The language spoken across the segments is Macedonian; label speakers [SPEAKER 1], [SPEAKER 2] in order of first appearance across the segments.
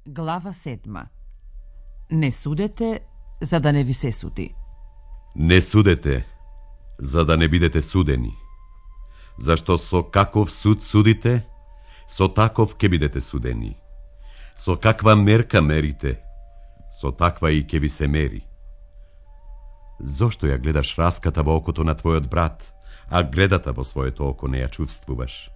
[SPEAKER 1] Глава 7. Не судете, за да не ви се суди.
[SPEAKER 2] Не судете, за да не бидете судени. Зашто со каков суд судите, со таков ќе бидете судени. Со каква мерка мерите, со таква и ќе ви се мери. Зошто ја гледаш раската во окото на твојот брат, а гледата во своето око не ја чувствуваш?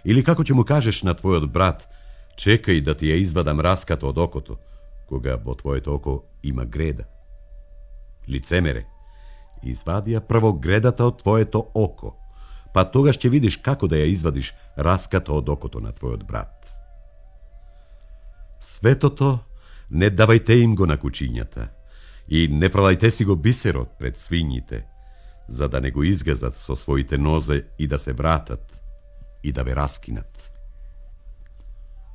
[SPEAKER 2] Или како ќе му кажеш на твојот брат: чекај да ти ја извадам раската од окото, кога во твоето око има греда? Лицемере, извади ја прво гредата од твоето око, па тогаш ќе видиш како да ја извадиш раската од окото на твојот брат. Светото не давајте им го на кучињата и не фрлајте си го бисерот пред свињите, за да не го изгазат со своите нозе и да се вратат и да ве раскинат.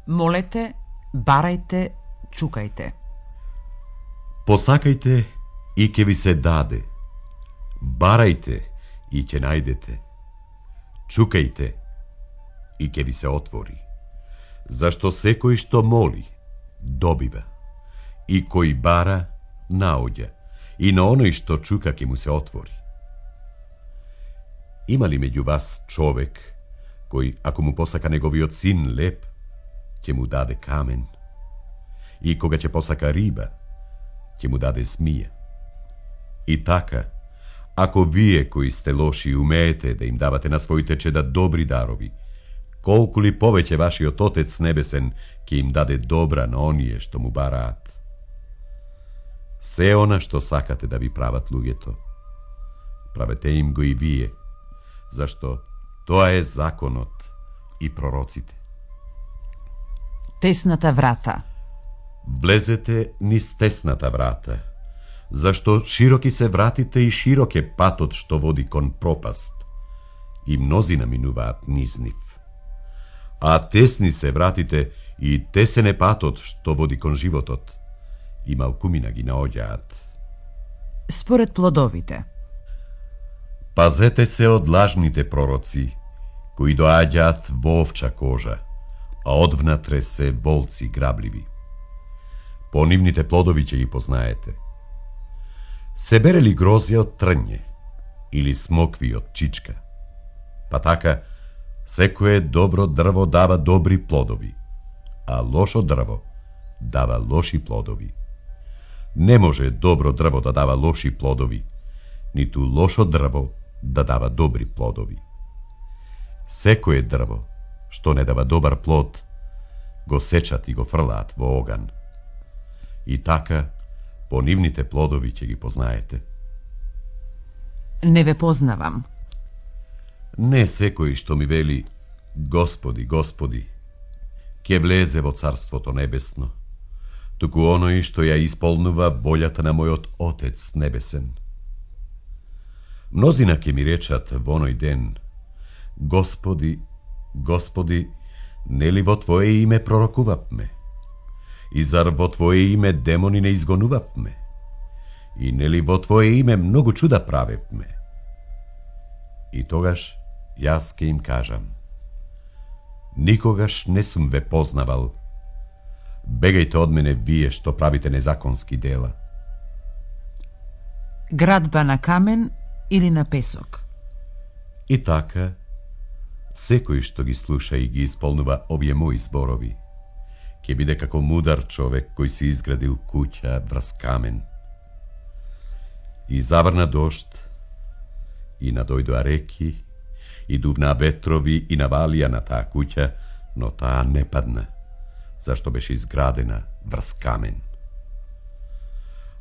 [SPEAKER 1] Молете, барајте, чукајте.
[SPEAKER 2] Посакајте и ќе ви се даде. Барајте и ќе најдете. Чукајте и ќе ви се отвори. Зашто секој што моли, добива. И кој бара, наоѓа. И на оној што чука ќе му се отвори. Има ли меѓу вас човек кој, ако му посака неговиот син леп, ќе му даде камен? И кога ќе посака риба, ќе му даде змија? И така, ако вие кои сте лоши умеете да им давате на своите чеда добри дарови, колку ли повеќе вашиот Отец небесен ќе им даде добра на оние што му бараат. Се она што сакате да ви прават луѓето, правете им го и вие, зашто тоа е законот и пророците.
[SPEAKER 1] Тесната врата.
[SPEAKER 2] Влезете низ тесната врата, зашто широки се вратите и широк е патот што води кон пропаст, и мнозина минуваат низ нив. А тесни се вратите и тесен е патот што води кон животот, и малкумина ги наоѓаат.
[SPEAKER 1] Според плодовите.
[SPEAKER 2] Пазете се од лажните пророци, кои доаѓаат во овча кожа, а одвнатре се волци грабливи. По нивните плодови ќе ги познаете. Се бере ли грозје од трње, или смокви од чичка? Па така, секое добро дрво дава добри плодови, а лошо дрво дава лоши плодови. Не може добро дрво да дава лоши плодови, ниту лошо дрво да дава добри плодови. Секое дрво што не дава добар плод, го сечат и го фрлаат во оган. И така, по нивните плодови ќе ги познаете.
[SPEAKER 1] Не ве познавам.
[SPEAKER 2] Не секој што ми вели: Господи, Господи, ќе влезе во Царството Небесно, туку оној што ја исполнува волјата на мојот Отец Небесен. Мнозина ќе ми речат во оној ден: Господи, Господи, нели во Твое име пророкувавме? И зар во Твое име демони не изгонувавме? И нели во Твое име многу чуда правевме? И тогаш јас ке им кажам: никогаш не сум ве познавал. Бегајте од мене вие што правите незаконски дела.
[SPEAKER 1] Градба на камен или на песок.
[SPEAKER 2] И така, секој што ги слуша и ги исполнува овие мои зборови, ќе биде како мудар човек кој си изградил куќа врз камен. И заврна дожд, и надојдоа реки, и дувна ветрови, и навалија на таа куќа, но таа не падна, зашто беше изградена врз камен.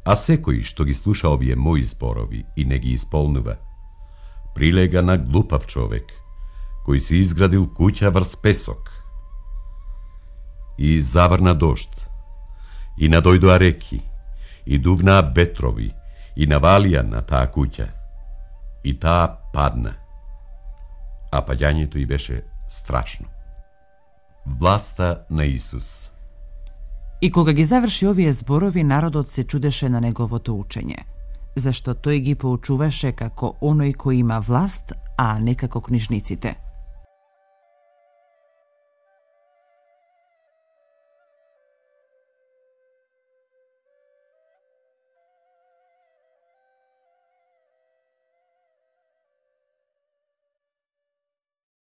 [SPEAKER 2] А секој што ги слуша овие мои зборови и не ги исполнува, прилега на глупав човек, кој си изградил куќа врз песок. И заврна дожд, и надојдоа реки, и дувна ветрови, и навалија на таа куќа, и таа падна, а паѓањето й беше страшно. Власта на Исус.
[SPEAKER 1] И кога ги заврши овие зборови, народот се чудеше на неговото учење, зашто тој ги поучуваше како оној кој има власт, а не како книжниците.